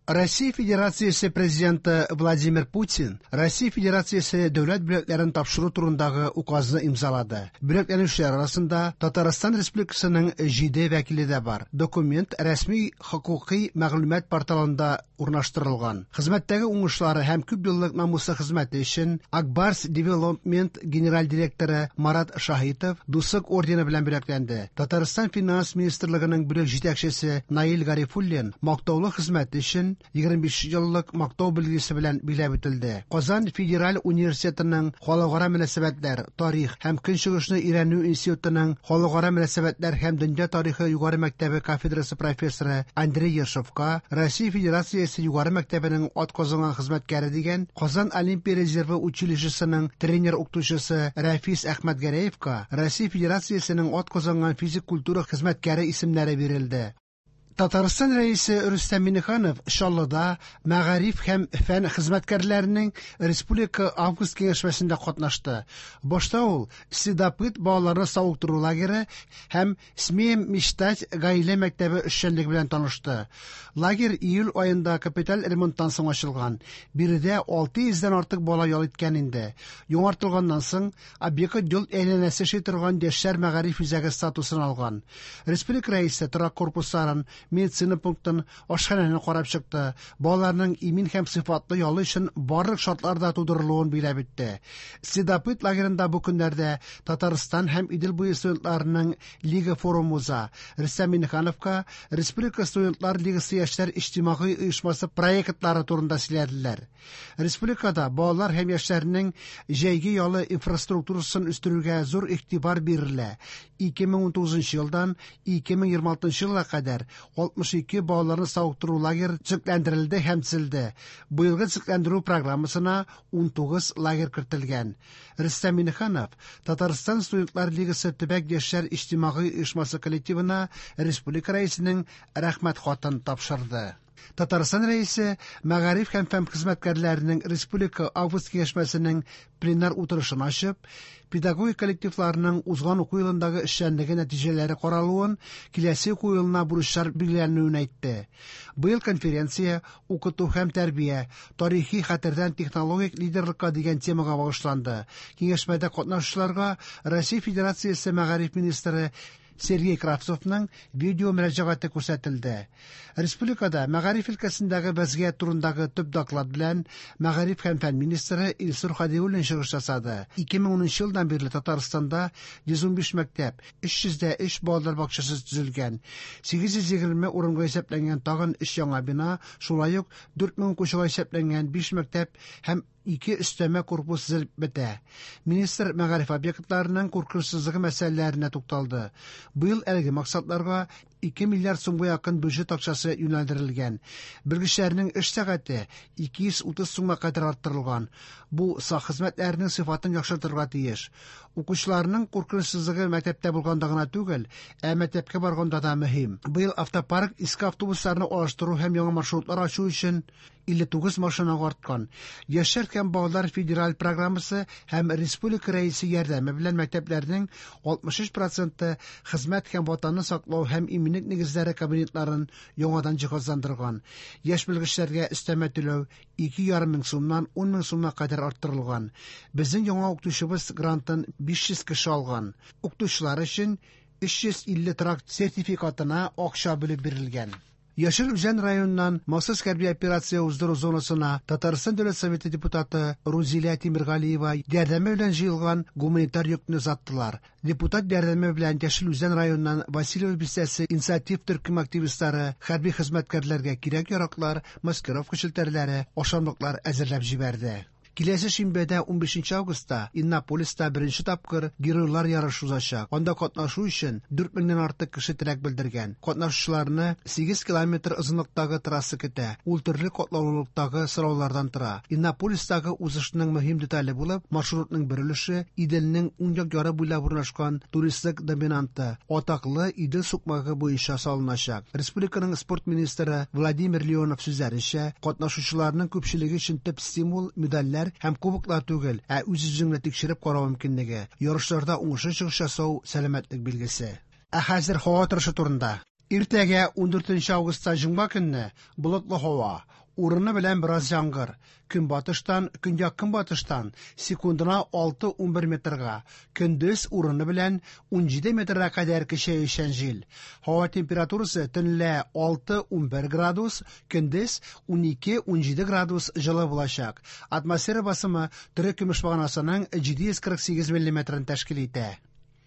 Россия Федерациясе Президенты Владимир Путин Россия Федерациясе дәүләт бүләкләрен тапшыру турындагы указны имзалады. Бүләкләнүчеләр арасында Татарстан Республикасының 7 вәкиле дә бар. Документ рәсми хокукый мәгълүмат порталында урнаштырылган. Хезмәттәге уңышлары һәм күп еллык намуслы хезмәте өчен Ак Барс Девелопмент генераль директоры Марат Шаһитов Дуслык ордены белән бүләкләнде. Татарстан Финанс министрлыгының бүлек җитәкчесе Наил Гарифуллин мактаулы хезмәте өчен 25 еллык мактау билгесе белән билгеләп үтелде. Казан федераль университетының Халыкара мөнәсәбәтләр, тарих һәм көнчыгышны өйрәнү институтының Халыкара мөнәсәбәтләр һәм дөнья тарихы югары мәктәбе кафедрасы профессоры Андрей Ершовка Россия Федерациясе югары мәктәбенең атказанган хезмәткәре дигән, Казан Олимпия резервы училищесының тренер-укытучысы Рәфис Әхмәтгәрәевка Россия Федерациясенең атказанган физик культура хезмәткәре исемнәре бирелде. Татарстан Рәисе Рөстәм Миңнеханов Чаллыда мәгариф һәм фән хезмәткәрләренең республика август киңәшмәсендә катнашты. Башта ул Следопыт балаларны савыктыру лагере һәм Смеем мечтать гаилә мәктәбе эшчәнлеге белән танышты. Лагерь июль аенда капиталь ремонттан соң ачылган. Биредә 600 дән артык бала ял иткән инде. Яңартылганнан соң объект ел әйләнәсе эшли торган яшьләр мәгариф үзәге статусын алган. Республика Рәисе торак корпусларын, медицина пунктын, ашханәне карап чыкты, балаларның имин һәм сыйфатлы ялы өчен барлык шартлар да тудырылуын билгеләп үтте. Следопыт лагерында бу көннәрдә Татарстан һәм Идел буе студентларының лига форумы уза. Рөстәм Миңнехановка Республика студентлар лигасы яшьләр иҗтимагый оешмасы проектлары турында сөйләделәр. Республикада балалар һәм яшьләрнең җәйге ялы инфраструктурасын үстерүгә зур игътибар бирелә. 2019 елдан 2026 елга кадәр 62 балаларны савыктыру лагерь төзекләндерелде һәм төзелде. Быелгы төзекләндерү программасына 19 лагерь кертелгән. Рөстәм Миңнеханов Татарстан студентлар лигасы төбәк яшьләр иҗтимагый оешмасы коллективына республика Рәисенең рәхмәт хатын тапшырды. Татарстан Рәисе мәгариф һәм фән хезмәткәрләренең республика август киңәшмәсенең пленар утырышын ачып, педагогик коллективларның узган уку елындагы эшчәнлеге нәтиҗәләре каралуын, киләсе уку елына бурычлар билгеләнүен әйтте. Быел конференция укыту һәм тәрбия, тарихи хәтердән технологик лидерлыкка дигән темага багышланды. Киңәшмәдә катнашучыларга Россия Федерациясе мәгариф министры Сергей Кравцовның видео мөрәҗәгате күрсәтелде. Республикада мәгариф өлкәсендәге вәзгыять турындагы төп доклад белән мәгариф һәм фән министры Илсур Хадиуллин чыгыш ясады. 2010 елдан бирле Татарстанда 115 мәктәп, 303 балалар бакчасы төзелгән. 820 урынга исәпләнгән тагын 3 яңа бина, шулай ук 4000 укучыга исәпләнгән 5 мәктәп һәм 2 өстәмә корпус төзелеп бетә. Министр мәгариф объектларының куркынычсызлыгы мәсьәләләренә тукталды. Быел әлеге максатларга 2 миллиард сумга якын бюджет акчасы юнәлдерелгән. Белгечләрнең эш сәгате 230 сумга кадәр арттырылган. Бу сак хезмәтләренең сыйфатын яхшыртырга тиеш. Укучыларның куркынычсызлыгы мәктәптә булганда гына түгел, ә мәктәпкә барганда да мөһим. Быел автопарк иске автобусларны алыштыру һәм яңа маршрутлар ачу өчен 59 машинага арткан. Яшьләр һәм балалар федераль программасы һәм республика рәисе ярдәме белән мәктәпләрнең 63 проценты хезмәт һәм ватанны саклау һәм иминлек нигезләре кабинетларын яңадан җиһазландырган. Яшь белгечләргә өстәмә түләү 2,5 мең сумнан 10 мең сумга кадәр арттырылган. Безнең яңа укытучыбыз грантын 500 кеше алган. Укытучылар өчен 350 торак сертификатына акча бүлеп бирелгән. Яшел Үзән районыннан махсус хәрби операция уздыру зонасына Татарстан Дәүләт Советы депутаты Рузилә Тимергалиева ярдәме белән җыелган гуманитар йөкне озаттылар. Депутат ярдәме белән Яшел Үзән районыннан Васильево бистәсе инициатив төркем активистлары хәрби хезмәткәрләргә кирәк-яраклар, маскировка челтәрләре, ашамлыклар әзерләп җибәрде. Киләсе шимбәдә 15 августта Иннополиста беренче тапкыр геройлар ярышы узачак. Анда катнашу өчен 4000 артык кеше теләк белдергән. Катнашучыларны 8 километр озынлыктагы трасса көтә. Ул төрле катлаулылыктагы сораулардан тора. Иннополистагы узышның мөһим детале булып, маршрутның бер өлеше Иделнең уң як яры буйлап урнашкан туристлык доминанты атаклы Идел сукмагы буенча салыначак. Республиканың спорт министры Владимир Леонов сүзләренчә, катнашучыларның күпчелеге өчен төп стимул медальләр һәм кубоклар түгел, ә үз-үзеңне тикшереп карау мөмкинлеге. Ярышларда уңышлы чыгыш ясау сәламәтлек билгесе. Ә хәзер һава торышы турында. Иртәгә, 14 августта җомга көнне, болытлы һава, урыны белән бераз яңгыр. Көнбатыштан, көньяк-көнбатыштан секундына 6-11 метрга, көндез урыны белән 17 метрга кадәр көчәючән җил. Һава температурасы төнлә 6-11 градус, көндез 12-17 градус җылы булачак. Атмосфера басымы терекөмеш баганасының 748 миллиметрын тәшкил итә.